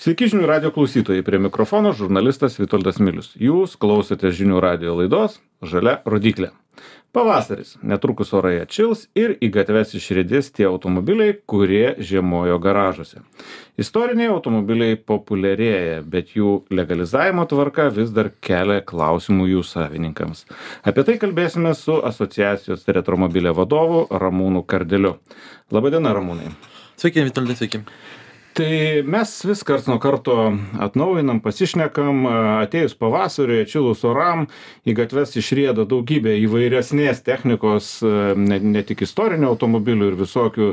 Sveiki žinių radio klausytojai, prie mikrofono žurnalistas Vitoldas Milius. Jūs klausote žinių radio laidos Žalia rodyklė. Pavasaris, netrukus orai atšils ir į gatves išriedės tie automobiliai, kurie žiemojo garažuose. Istoriniai automobiliai populiarėja, bet jų legalizavimo tvarka vis dar kelia klausimų jų savininkams. Apie tai kalbėsime su asociacijos Retromobilė vadovu Ramūnu Kardeliu. Labadiena, Ramūnai. Sveiki, Vitoldai, sveiki. Tai mes vis karts nuo karto atnaujinam, pasišnekam, atėjus pavasariui, atšilus oram, į gatves išrieda daugybė įvairesnės technikos, ne tik istorinių automobilių ir visokių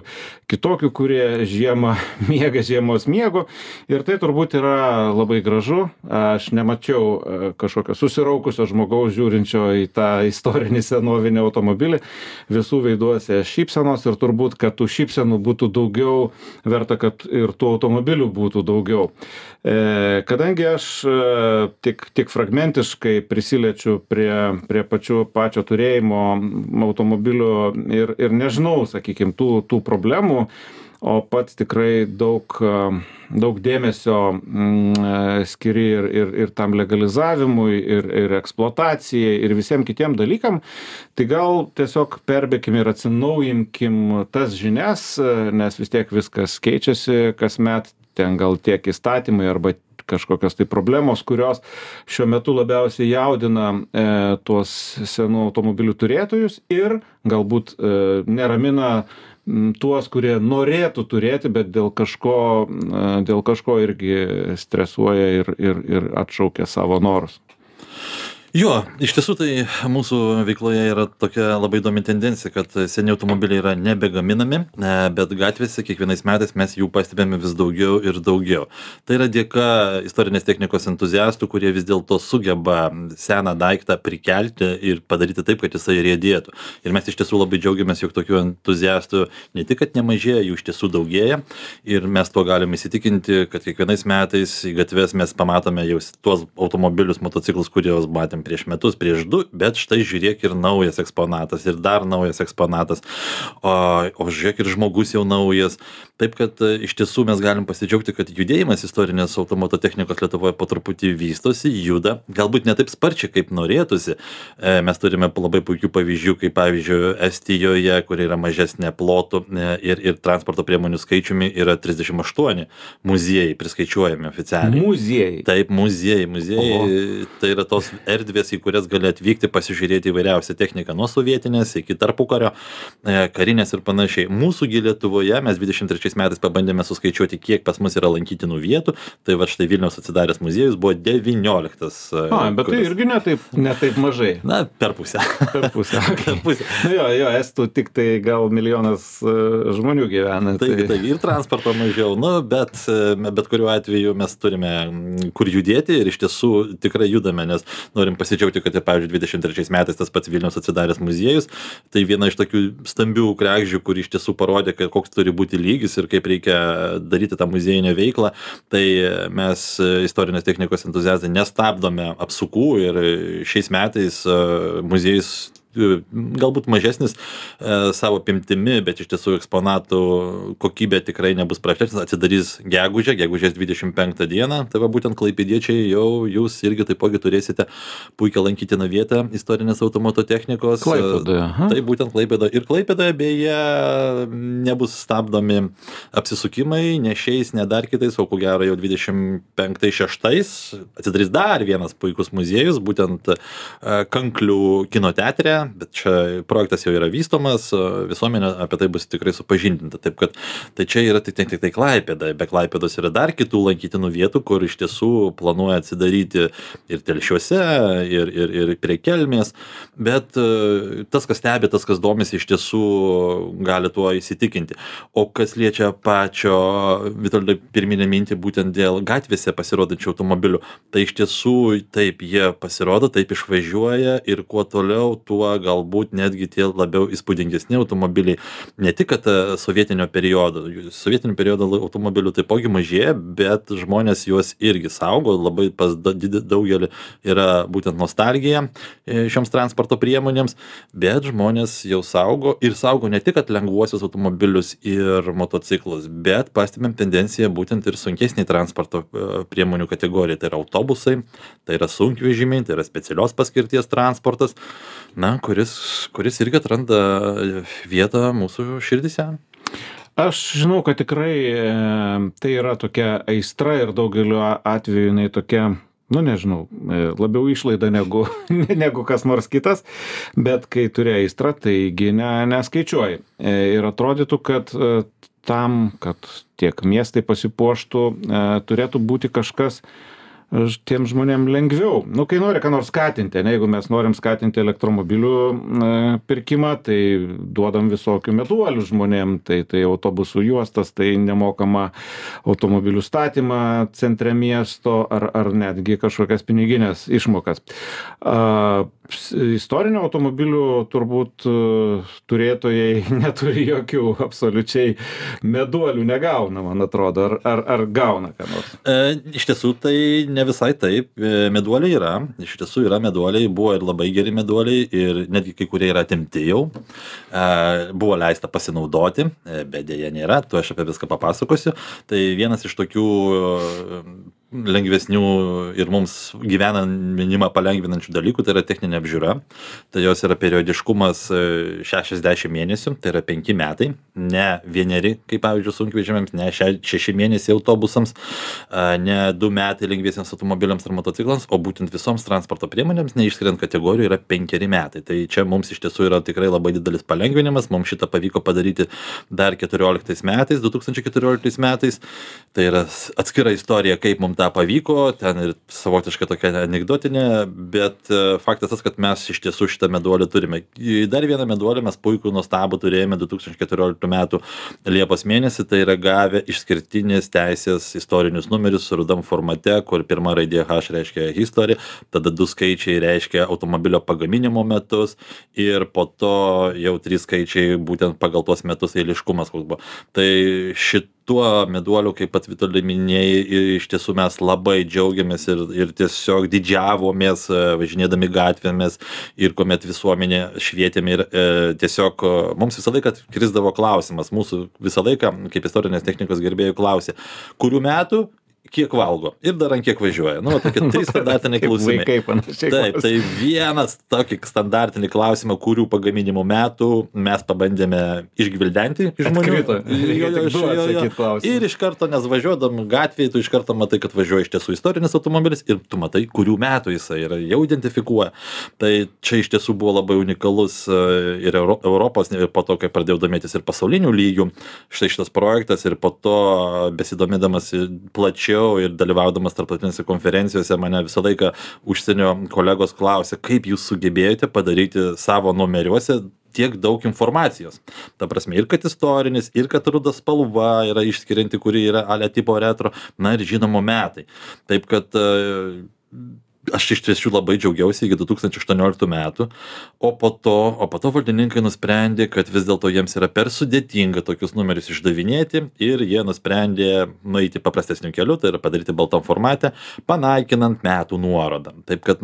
kitokių, kurie žiemą miega žiemos miego. Ir tai turbūt yra labai gražu. Aš nemačiau kažkokio susiraukusio žmogaus žiūrinčio į tą istorinį senovinį automobilį. Visų veiduose šypsenos ir turbūt, kad tų šypsenų būtų daugiau, verta, kad ir tų automobilių būtų daugiau. Kadangi aš tik fragmentiškai prisiliečiu prie pačio turėjimo automobilių ir nežinau, sakykime, tų problemų, o pats tikrai daug dėmesio skiri ir tam legalizavimui, ir eksploatacijai, ir visiems kitiem dalykam, tai gal tiesiog perbėkim ir atsinaujinkim tas žinias, nes vis tiek viskas keičiasi kasmet, ten gal tiek įstatymai arba kažkokios tai problemos, kurios šiuo metu labiausiai jaudina tuos senų automobilių turėtojus ir galbūt neramina tuos, kurie norėtų turėti, bet dėl kažko irgi stresuoja ir atšaukia savo norus. Jo, iš tiesų tai mūsų veikloje yra tokia labai įdomi tendencija, kad seni automobiliai yra nebegaminami, bet gatvėse kiekvienais metais mes jų pastebėme vis daugiau ir daugiau. Tai yra dėka istorinės technikos entuziastų, kurie vis dėlto sugeba seną daiktą prikelti ir padaryti taip, kad jisai riedėtų. Ir mes iš tiesų labai džiaugiamės, jog tokių entuziastų ne tik, kad nemažėja, jų iš tiesų daugėja. Ir mes tuo galime įsitikinti, kad kiekvienais metais į gatves mes pamatome jau tuos automobilius, motociklus, kuriuos matėm prieš metus, prieš 2, bet štai žiūrėk ir naujas eksponatas, ir dar naujas eksponatas, o žiūrėk ir žmogus jau naujas. Taip, kad iš tiesų mes galim pasidžiaugti, kad judėjimas istorinės automoto technikos Lietuvoje po truputį vystosi, juda, galbūt ne taip sparčiai, kaip norėtųsi. Mes turime labai puikių pavyzdžių, kaip pavyzdžiui Estijoje, kur yra mažesnė plotų ir transporto priemonių skaičiumi yra 38 muziejai priskaičiuojami oficialiai. Muziejai? Taip, muziejai. Tai yra tos erdvės, į kurias gali atvykti, pasižiūrėti įvairiausią techniką, nuo sovietinės iki tarpukario, karinės ir panašiai. Mūsųgi Lietuvoje mes 23 metais pabandėme suskaičiuoti, kiek pas mus yra lankytinų vietų. Tai va štai Vilniaus atsidaręs muziejus buvo 19. Bet tai irgi ne taip mažai. Na, per pusę. Per pusę. Jo, estų tik tai gal 1 milijonas žmonių gyvena. Tai ir transporto mažiau, bet kuriuo atveju mes turime kur judėti ir iš tiesų tikrai judame, nes norim pasidžiaugti, kad, pavyzdžiui, 23 metais tas pats Vilniaus atsidaręs muziejus, tai viena iš tokių stambių kregždžių, kur iš tiesų parodė, koks turi būti lygis ir kaip reikia daryti tą muziejinę veiklą, tai mes istorinės technikos entuziastai nestabdome apsukų ir šiais metais muziejus galbūt mažesnis savo apimtimi, bet iš tiesų eksponatų kokybė tikrai nebus prastesnė, atsidarys gegužės 25 dieną, tai va būtent klaipėdiečiai jau jūs irgi taipogi turėsite puikią lankytiną vietą istorinės automoto technikos. Klaipėdoje. Tai būtent Klaipėdoje. Ir Klaipėdoje beje nebus stabdomi apsisukimai, ne šiais, ne dar kitais, o ko gero jau 25-6 atsidarys dar vienas puikus muziejus, būtent Kanklių kino teatre. Bet čia projektas jau yra vystomas, visuomenė apie tai bus tikrai supažindinta. Taip kad tai čia yra tik Klaipėda. Be Klaipėdos yra dar kitų lankytinų vietų, kur iš tiesų planuoja atsidaryti ir Telšiuose, ir prie Kelmės. Bet tas, kas stebi, tas, kas domisi, iš tiesų gali tuo įsitikinti. O kas liečia pačio Vitoldai pirminę mintį būtent dėl gatvėse pasirodančių automobilių, tai iš tiesų taip jie pasirodo, taip išvažiuoja ir kuo toliau, tuo arba galbūt netgi tie labiau įspūdingesni automobiliai. Ne tik, kad sovietinio periodo automobilių taipogi mažėja, bet žmonės juos irgi saugo, labai pas daugelį yra būtent nostalgija šioms transporto priemonėms, bet žmonės jau saugo ir saugo ne tik, kad lengvuosius automobilius ir motociklus, bet pastebėm tendenciją būtent ir sunkesnį transporto priemonių kategoriją. Tai yra autobusai, tai yra sunkvežimiai, tai yra specialios paskirties transportas, kuris irgi atranda vietą mūsų širdise. Aš žinau, kad tikrai tai yra tokia aistra ir daugeliu atveju jinai tokia, nežinau, labiau išlaida negu kas nors kitas, bet kai turi aistrą, taigi neskaičiuoji. Ir atrodytų, kad tam, kad tiek miestai pasipuoštų, turėtų būti kažkas tiem žmonėm lengviau. Kai nori ką nors skatinti, jeigu mes norim skatinti elektromobilių pirkimą, tai duodam visokių meduolių žmonėm, tai autobusų juostas, tai nemokama automobilių statymą centre miesto ar netgi kažkokias piniginės išmokas. Istorinių automobilių turbūt turėtojai neturi jokių absoliučiai meduolių negauna, man atrodo, ar gauna ką nors? Iš tiesų tai ne visai taip, meduoliai yra, iš tiesų yra meduoliai, buvo ir labai geri meduoliai ir netgi kai kurie yra atimti jau, buvo leista pasinaudoti, bet dėja nėra, tu aš apie viską papasakosiu. Tai vienas iš tokių lengvesnių ir mums gyvenimą palengvinančių dalykų, tai yra techninė apžiūra. Tai jos yra periodiškumas 60 mėnesių, tai yra 5 metai, ne 1, kaip pavyzdžiui sunkvežimiams, ne 6 mėnesiai autobusams, ne 2 metai lengviesiems automobiliams ar motociklams, o būtent visoms transporto priemonėms, neišskiriant kategorijų, yra 5 metai. Tai čia mums iš tiesų yra tikrai labai didelis palengvinimas, mums šitą pavyko padaryti dar 2014 metais. Tai yra atskira istorija, kaip mums tą pavyko, ten ir savotiškai tokia anekdotinė, bet faktas tas, kad mes iš tiesų šitą meduolį turime. Dar vieną meduolį mes puikų nuostabų turėjome 2014 metų Liepos mėnesį, tai yra gavę išskirtinės teisės istorinius numerius rudam formate, kur pirma raidė H reiškia history, tada 2 skaičiai reiškia automobilio pagaminimo metus ir po to jau 3 skaičiai būtent pagal tuos metus eiliškumas koks buvo. Tai šituo meduoliu, kaip pat Vitali minėjai, iš tiesų mes labai džiaugiamės ir tiesiog didžiavomės važinėdami gatvėmis ir kuomet visuomenė švietėme ir tiesiog mums visą laiką krisdavo klausimas, mūsų visą laiką kaip istorinės technikos gerbėjų klausė, kurių metų kiek valgo ir dar ant kiek važiuoja. Tokie 3 standartiniai klausimai. Taip, tai vienas tokį standartinį klausimą, kurių pagaminimo metų mes pabandėme išgvildenti iš žmonių. Ir iš karto, nes važiuodam gatvėje, tu iš karto matai, kad važiuoja iš tiesų istorinis automobilis ir tu matai, kurių metų jisai yra, jau identifikuoja. Tai čia iš tiesų buvo labai unikalus ir Europos, ir po to, kai pradėjau domėtis ir pasaulinių lygių, štai šitas projektas ir po to besidomėdamas plačiau ir dalyvaudamas tarptautinėse konferencijose mane visą laiką užsienio kolegos klausė, kaip jūs sugebėjote padaryti savo numeriuose tiek daug informacijos. Ta prasme, ir kad istorinis, ir kad ruda spalva yra išskirianti, kuri yra ale tipo retro, ir žinomo metai. Taip kad aš iš tiesų labai džiaugiausi iki 2018 metų, o po to valdininkai nusprendė, kad vis dėlto jiems yra per sudėtinga tokius numerius išdavinėti ir jie nusprendė nueiti paprastesniu keliu, tai yra padaryti baltam formate, panaikinant metų nuorodą. Taip kad,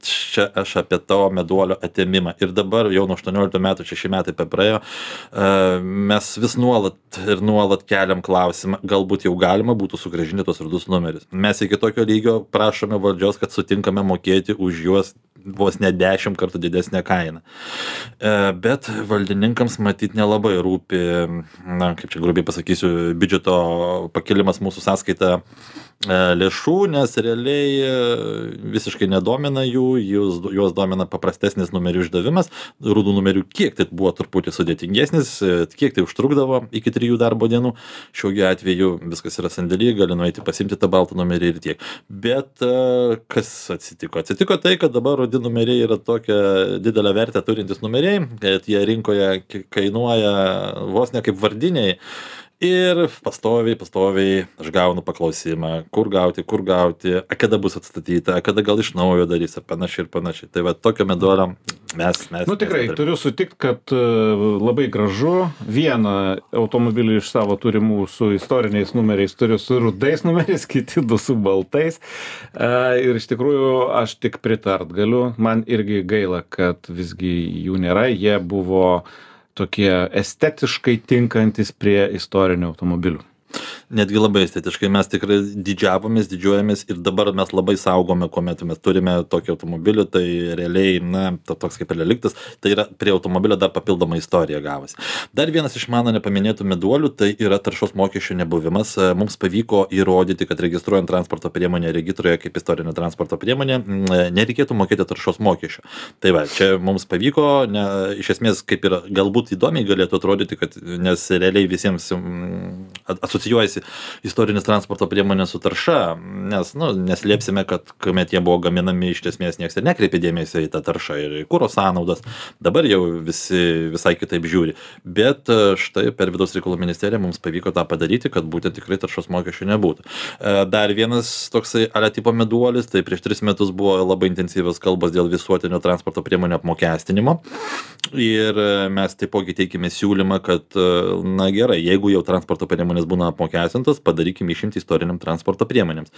čia aš apie tavo meduolio atėmimą. Ir dabar jau nuo 18 metų, 6 metai praėjo, mes vis nuolat keliam klausimą, galbūt jau galima būtų sugrąžinti tos rudus numerius. Mes iki tokio lygio prašome valdžios, kad sutinkame mokėti už juos vos ne 10 kartų didesnę kainą. Bet valdininkams matyt nelabai rūpi, kaip čia grubiai pasakysiu, biudžeto pakilimas mūsų sąskaita lėšų, nes realiai visiškai nedomina juos domina paprastesnis numerių išdavimas, rudų numerių kiek tai buvo truputį sudėtingesnis, kiek tai užtrukdavo iki 3 darbo dienų, šiuo atveju viskas yra sandėly, gali nueiti pasimti tą baltą numerį ir tiek. Bet kas atsitiko? Atsitiko tai, kad dabar rudi numeriai yra tokia didelę vertę turintis numeriai, kad jie rinkoje kainuoja vos ne kaip vardiniai. Ir pastoviai aš gaunu paklausimą, kur gauti, kada bus atstatyta, kada gal iš naujo darys ir panašiai. Tai va, tokio meduolio Nu tikrai, turiu sutikti, kad labai gražu. Vieną automobilį iš savo turimų su istoriniais numeriais turiu su rudais numeriais, kiti du su baltais. Ir iš tikrųjų aš tik pritart galiu. Man irgi gaila, kad visgi jų nėra. Jie buvo tokie estetiškai tinkantis prie istorinių automobilių. Netgi labai estetiškai mes tikrai didžiuojamės ir dabar mes labai saugome, kuomet mes turime tokį automobilį, tai realiai, toks kaip reliktas, tai yra prie automobilio dar papildoma istorija gavosi. Dar vienas iš mano nepaminėtų meduolių, tai yra taršos mokesčio nebuvimas. Mums pavyko įrodyti, kad registruojant transporto priemonę regitroje kaip istorinę transporto priemonę, nereikėtų mokėti taršos mokesčio. Tai va, čia mums pavyko, iš esmės kaip ir galbūt įdomiai galėtų atrodyti, kad, nes realiai visiems asocijuojasi istorinis transporto priemonė su tarša, nes, neslėpsime, kad kuomet jie buvo gaminami, iš esmės nieks ir nekreipė dėmesio į tą taršą ir į kuro sąnaudas. Dabar jau visi visai kitaip žiūri. Bet štai per Vidaus reikalų ministeriją mums pavyko tą padaryti, kad būtent tikrai taršos mokesčių nebūtų. Dar vienas toksai tipo meduolis, tai prieš 3 metus buvo labai intensyvios kalbos dėl visuotinio transporto priemonių apmokestinimo. Ir mes taipogi teikime siūlymą, kad, gerai, jeigu jau transporto priemonės būna apmokestintos, padarykime išimti istoriniam transporto priemonėms.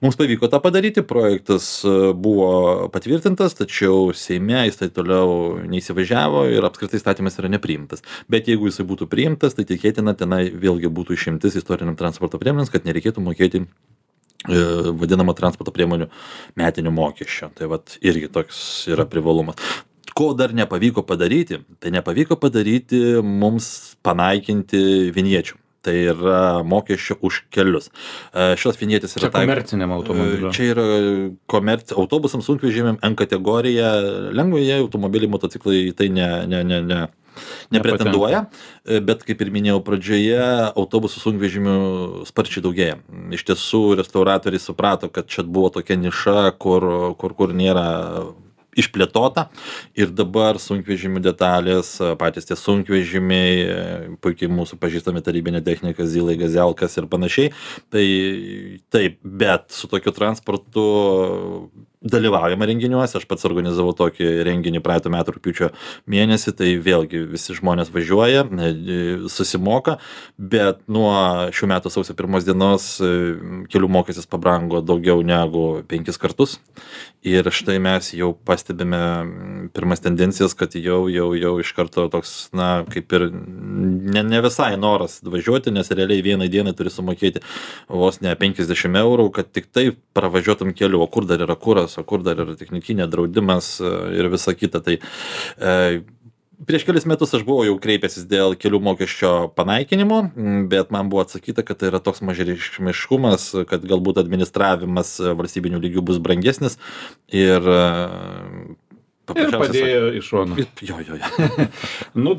Mums pavyko tą padaryti, projektas buvo patvirtintas, tačiau Seime jis tai toliau neįsivažiavo ir apskritai įstatymas yra nepriimtas. Bet jeigu jisai būtų priimtas, tai tikėtina tenai vėlgi būtų išimtis istoriniam transporto priemonėms, kad nereikėtų mokėti vadinamą transporto priemonių metinio mokesčio. Tai vat irgi toks yra privalumas. Ko dar nepavyko padaryti, tai nepavyko padaryti mums panaikinti vinječių. Tai yra mokesčio už kelius. Šios vinjetės yra... Čia komerciniam automobiliu. Čia yra autobusams, sunkvežimiam, N kategorija, lengvieji automobiliai, motociklai tai nepretenduoja, bet kaip ir minėjau pradžioje, autobusų sunkvežimių sparčiai daugėja. Iš tiesų, restauratoriai suprato, kad čia buvo tokia niša, kur nėra išplėtota ir dabar sunkvežimių detalės, patys tie sunkvežimiai, puikiai mūsų pažįstami tarybinė technika, Zylai, Gazelkas ir panašiai. Tai taip, bet su tokiu transportu dalyvaujama renginiuose, aš pats organizavau tokį renginį praeitų metų rugpjūčio mėnesį, tai vėlgi visi žmonės važiuoja, susimoka, bet nuo šių metų sausio 1 dienos kelių mokestis pabrango daugiau negu 5 kartus ir štai mes jau pastebime pirmas tendencijas, kad jau iš karto toks, kaip ir ne visai noras važiuoti, nes realiai vienai dienai turi sumokėti vos ne 50 eurų, kad tik taip pravažiuotum keliu, o kur dar yra kuras, o kur dar yra technikinė draudimas ir visa kita. Tai prieš kelis metus aš buvau jau kreipęsis dėl kelių mokesčio panaikinimo, bet man buvo atsakyta, kad tai yra toks mažareikšmiškumas, kad galbūt administravimas valstybinių lygių bus brangesnis ir padėjo iš šono. Jo.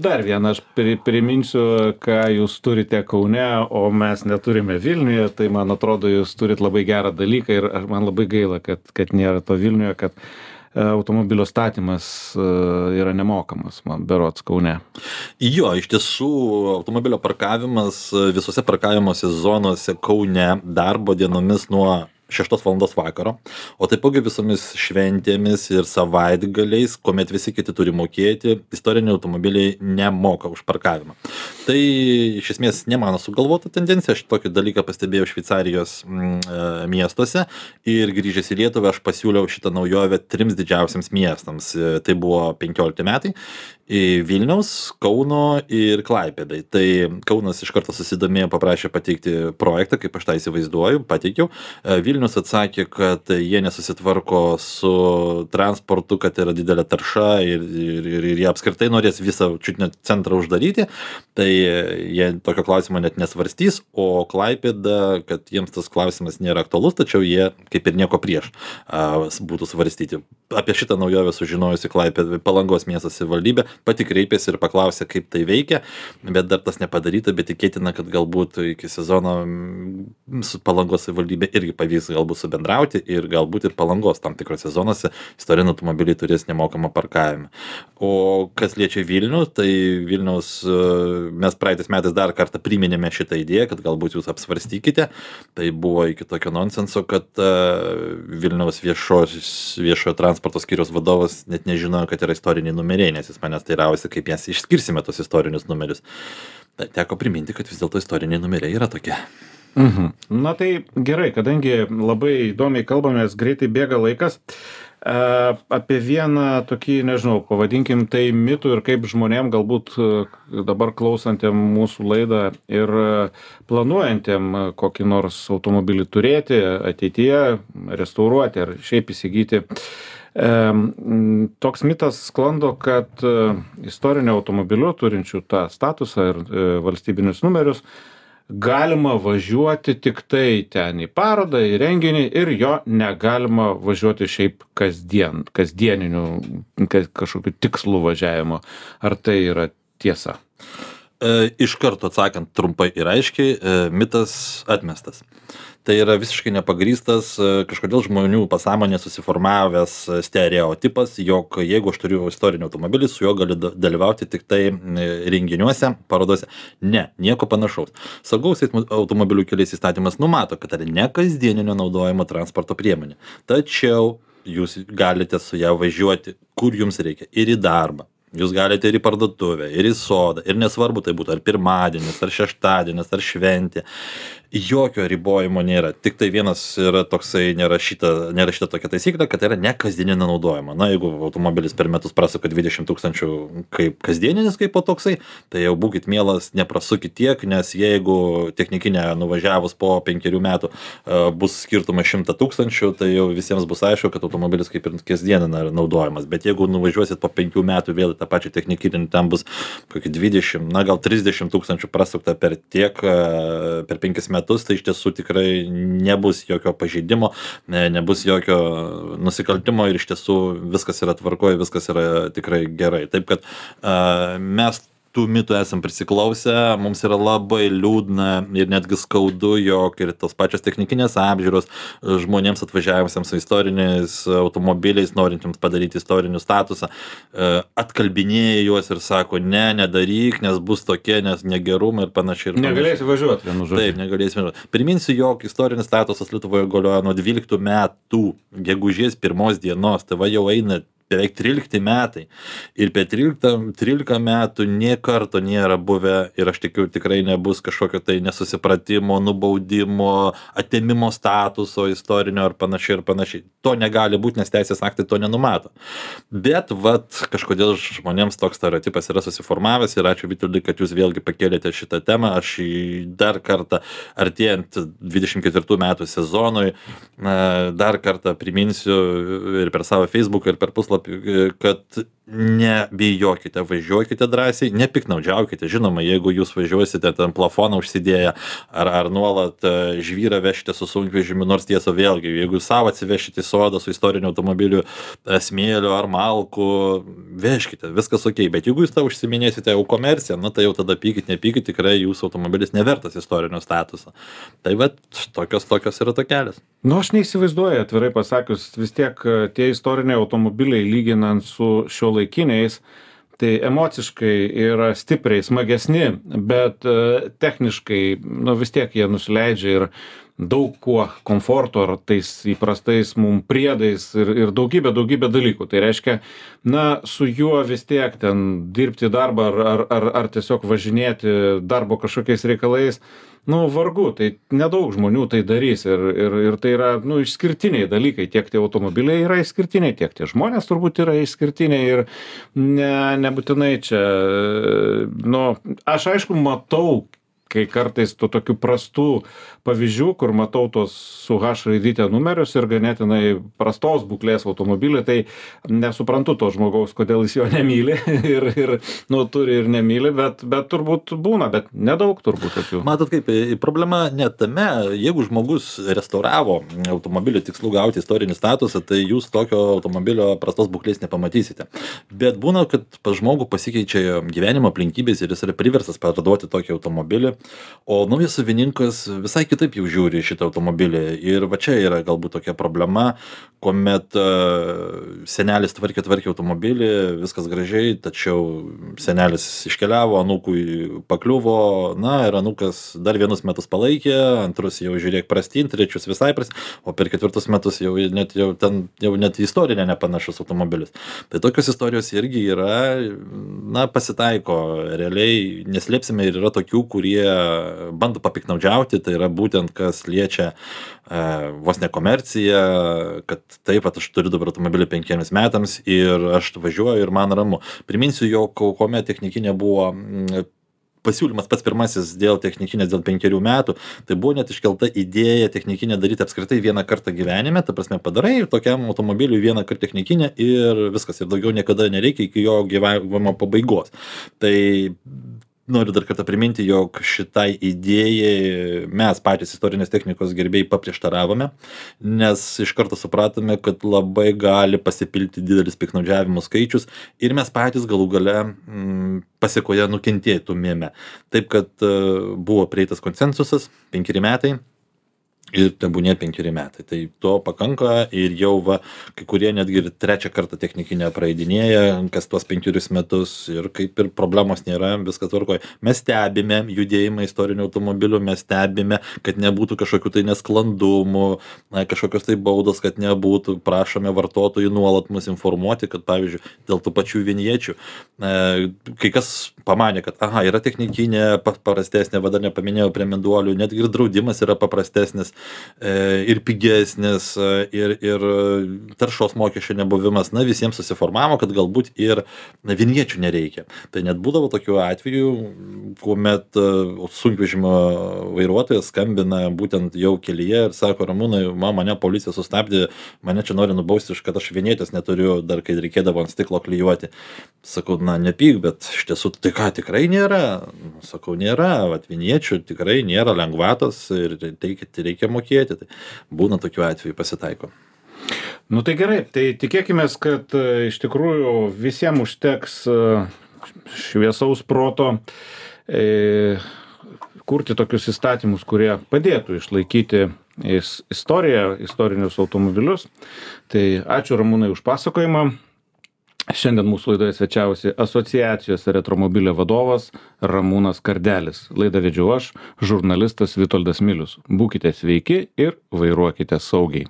Dar vieną aš priminsiu, ką jūs turite Kaune, o mes neturime Vilniuje, tai man atrodo, jūs turit labai gerą dalyką ir man labai gaila, kad nėra to Vilniuje, kad automobilio statymas yra nemokamas, man berods Kaune. Jo, iš tiesų automobilio parkavimas visose parkavimosi zonose Kaune darbo dienomis nuo 6 valandos vakaro, o taipogi visomis šventėmis ir savaitgaliais, kuomet visi kiti turi mokėti, istoriniai automobiliai nemoka už parkavimą. Tai iš esmės ne mano sugalvota tendencija, aš tokį dalyką pastebėjau Šveicarijos miestuose ir grįžęs į Lietuvą aš pasiūliau šitą naujovę 3 didžiausiams miestams. Tai buvo 15 metai. Vilniaus, Kauno ir Klaipėdai. Tai Kaunas iš karto susidomėjo, paprašė pateikti projektą, kaip aš tą įsivaizduoju, pateikiau. Vilnius atsakė, kad jie nesusitvarko su transportu, kad yra didelė tarša ir jie apskritai norės visą čiut net centrą uždaryti. Tai jie tokio klausimo net nesvarstys, o Klaipėda, kad jiems tas klausimas nėra aktualus, tačiau jie kaip ir nieko prieš būtų svarstyti. Apie šitą naujovę sužinojusi Klaipėda, Palangos miesto savivaldybė, pati kreipėsi ir paklausė, kaip tai veikia, bet dar tas nepadaryta, bet tikėtina, kad galbūt iki sezono su Palangos savivaldybė irgi pavyks jais galbūt subendrauti ir galbūt ir Palangos tam tikrose zonose istoriniai automobiliai turės nemokamą parkavimą. O kas liečia Vilnių, tai Vilniaus mes praeitais metais dar kartą priminėme šitą idėją, kad galbūt jūs apsvarstykite. Tai buvo iki tokio nonsenso, kad Vilniaus viešojo transporto skyriaus vadovas net nežinojo, kad yra istoriniai numeriai, nes jis manęs teiravosi, kaip mes išskirsime tos istorinius numerius. Tai teko priminti, kad vis dėlto istoriniai numeriai yra tokie. Na tai gerai, kadangi labai įdomiai kalbamės, greitai bėga laikas. Apie vieną tokį, nežinau, pavadinkim tai mitų ir kaip žmonėm galbūt dabar klausantiem mūsų laidą ir planuojantiem kokį nors automobilį turėti ateityje, restauruoti ar šiaip įsigyti. Toks mitas sklando, kad istoriniu automobiliu turinčių tą statusą ir valstybinius numerius galima važiuoti tik tai ten į parodą, į renginį ir jo negalima važiuoti šiaip kasdieniniu kažkokiu tikslu važiavimo. Ar tai yra tiesa? Iš karto atsakant trumpai ir aiškiai, mitas atmestas. Tai yra visiškai nepagrįstas, kažkodėl žmonių pasąmonė susiformavęs stereotipas, jog jeigu aš turiu istorinį automobilį, su juo galiu dalyvauti tik tai renginiuose, parodose. Ne, nieko panašaus. Saugaus automobilių keliais įstatymas numato, kad tai ne kasdieninio naudojimo transporto priemonė. Tačiau jūs galite su ją važiuoti, kur jums reikia, ir į darbą. Jūs galite ir į parduotuvę, ir į sodą, ir nesvarbu tai būtų ar pirmadienis, ar šeštadienis, ar šventė. Jokio ribojimo nėra. Tik tai vienas yra toksai nerašyta tokia taisyklė, kad tai yra ne kasdieninio naudojimo. Na, jeigu automobilis per metus prasuka 20 000 kaip kasdieninis kaip po toksai, tai jau būkit mielas, neprasukit tiek, nes jeigu technikinė nuvažiavus po 5 metų bus skirtumas 100 000, tai jau visiems bus aišku, kad automobilis kaip ir kasdieninė naudojimas. Bet jeigu nuvažiuosit po 5 metų vėl tą pačią technikinį, ten bus kokį 20, na gal 30 000 prasukta per 5 metus, tai iš tiesų tikrai nebus jokio pažeidimo, nebus jokio nusikaltimo ir iš tiesų viskas yra tvarkoje, viskas yra tikrai gerai. Taip kad mes tų mitų esam prisiklausę, mums yra labai liūdna ir netgi skaudu, jog ir tos pačios technikinės apžiūros žmonėms atvažiavusiems su istoriniais automobiliais, norintiems padaryti istorinį statusą, atkalbinėja juos ir sako, nedaryk, nes bus tokie, nes negerumai ir panašiai. Negalėsi važiuoti, vienu žodžiu. Taip, negalėsi važiuoti. Priminsiu, jog istorinis statusas Lietuvoje galioja nuo 12 metų, gegužės 1 dienos, tai va jau eina beveik 13 metai. Ir per 13 metų nė karto nėra buvę ir aš tikiu tikrai nebus kažkokio tai nesusipratimo, nubaudimo, atėmimo statuso istorinio ar panašiai. To negali būti, nes teisės aktai to nenumato. Bet kažkodėl žmonėms toks stereotipas yra susiformavęs ir ačiū Vitoldai, kad jūs vėlgi pakėlėte šitą temą. Aš dar kartą artėjant 24 metų sezonui dar kartą priminsiu ir per savo Facebooką ir per puslapį, kad nebijokite, važiuokite drąsiai, nepiknaudžiaukite. Žinoma, jeigu jūs važiuosite ten plafoną užsidėję ar nuolat žvyrą vešite su sunkvežimiu, nors tiesa vėlgi, jeigu savo atsivešite į sodą su istoriniu automobiliu smėliu ar malku, vežkite, viskas ok. Bet jeigu jūs tą užsiminėsite jau komerciją, tai jau tada pykit, nepykit, tikrai jūsų automobilis nevertas istorinio statuso. Tai tokios yra tokelės. Aš neįsivaizduoju, atvirai pasakius, vis tiek tie istoriniai automobiliai lyginant su šiuolaikiniais, tai emociškai yra stipriai smagesni, bet techniškai vis tiek jie nusileidžia ir daug kuo komforto ar tais įprastais mum priedais ir daugybė dalykų. Tai reiškia, su juo vis tiek ten dirbti darbą ar tiesiog važinėti darbo kažkokiais reikalais, vargu, tai nedaug žmonių tai darys ir tai yra, išskirtiniai dalykai, tiek tie automobiliai yra išskirtiniai, tiek tie žmonės turbūt yra išskirtiniai ir nebūtinai čia, aš aišku matau, kai kartais tų tokių prastų pavyzdžių, kur matau tos su H raidyte numerius ir ganėtinai prastos būklės automobilį, tai nesuprantu to žmogaus, kodėl jis jo nemyli ir turi ir nemyli, bet turbūt būna, bet nedaug turbūt tokių. Matot kaip, problema ne tame, jeigu žmogus restauravo automobilį tikslu gauti istorinį statusą, tai jūs tokio automobilio prastos būklės nepamatysite. Bet būna, kad pas žmogų pasikeičia gyvenimo aplinkybės ir jis yra priverstas parduoti tokį automobilį O naujas savininkas visai kitaip jau žiūri į šitą automobilį. Ir va čia yra galbūt tokia problema, kuomet senelis tvarkė automobilį, viskas gražiai, tačiau senelis iškeliavo, anūkui pakliuvo, na ir anūkas dar vienus metus palaikė, antrus jau žiūrėk prastyn, trečius visai prastyn, o per ketvirtus metus jau net į istorinę nepanašus automobilis. Tai tokios istorijos irgi yra, na, pasitaiko realiai, neslėpsime, ir yra tokių, kurie bando papiknaudžiauti, tai yra būtent kas liečia vos ne komerciją, kad taip, aš turiu dabar automobilį 5 metams ir aš važiuoju ir man ramu. Priminsiu, jog kuomet technikinė buvo pasiūlymas pats pirmasis dėl technikinės dėl 5 metų, tai buvo net iškelta idėja technikinę daryti apskritai vieną kartą gyvenime, ta prasme padarai tokiam automobiliui vieną kartą technikinę ir viskas, ir daugiau niekada nereikia iki jo gyvavimo pabaigos. Tai noriu dar kartą priminti, jog šitai idėjai mes patys istorinės technikos gerbėjai paprieštaravome, nes iš karto supratome, kad labai gali pasipilti didelis piktnaudžiavimų skaičius ir mes patys galų gale pasiekoje nukentėtumėme. Taip, kad buvo prieitas konsensusas 5 metai. Ir tebūnie 5 metai. Tai to pakanka ir jau kai kurie netgi ir 3 kartą technikinę praeidinėja, kas tuos 5 metus ir kaip ir problemos nėra, viskas tvarkoja. Mes stebime judėjimą istorinių automobilių, mes stebime, kad nebūtų kažkokių tai nesklandumų, kažkokios tai baudos, kad nebūtų, prašome vartotojų nuolat mus informuoti, kad pavyzdžiui, dėl tų pačių vinječių, kai kas pamanė, kad yra technikinė paprastesnė, dar nepaminėjau prie meduolių, netgi ir draudimas yra paprastesnis ir pigesnis, ir taršos mokesčio nebuvimas, visiems susiformavo, kad galbūt ir vinječių nereikia. Tai net būdavo tokių atvejų, kuomet sunkvežimio vairuotojas skambina būtent jau kelyje ir sako, Ramūnai, mane policija sustabdė, mane čia nori nubausti, kad aš vinjetės neturiu, dar kai reikėdavo ant stiklo klijuoti. Sakau, nepyk, bet iš tiesų tai ką, tikrai nėra? Sakau, nėra, vinječių tikrai nėra lengvatos ir reikia mokėti. Tai būna tokių atvejų, pasitaiko. Nu tai gerai, tai tikėkime, kad iš tikrųjų visiems užteks šviesaus proto kurti tokius įstatymus, kurie padėtų išlaikyti istoriją, istorinius automobilius. Tai ačiū Ramūnai už pasakojimą. Šiandien mūsų laidoje svečiavosi asociacijos Retromobilė vadovas Ramūnas Kardelis. Laidą vedžiau aš, žurnalistas Vitoldas Milius. Būkite sveiki ir vairuokite saugiai.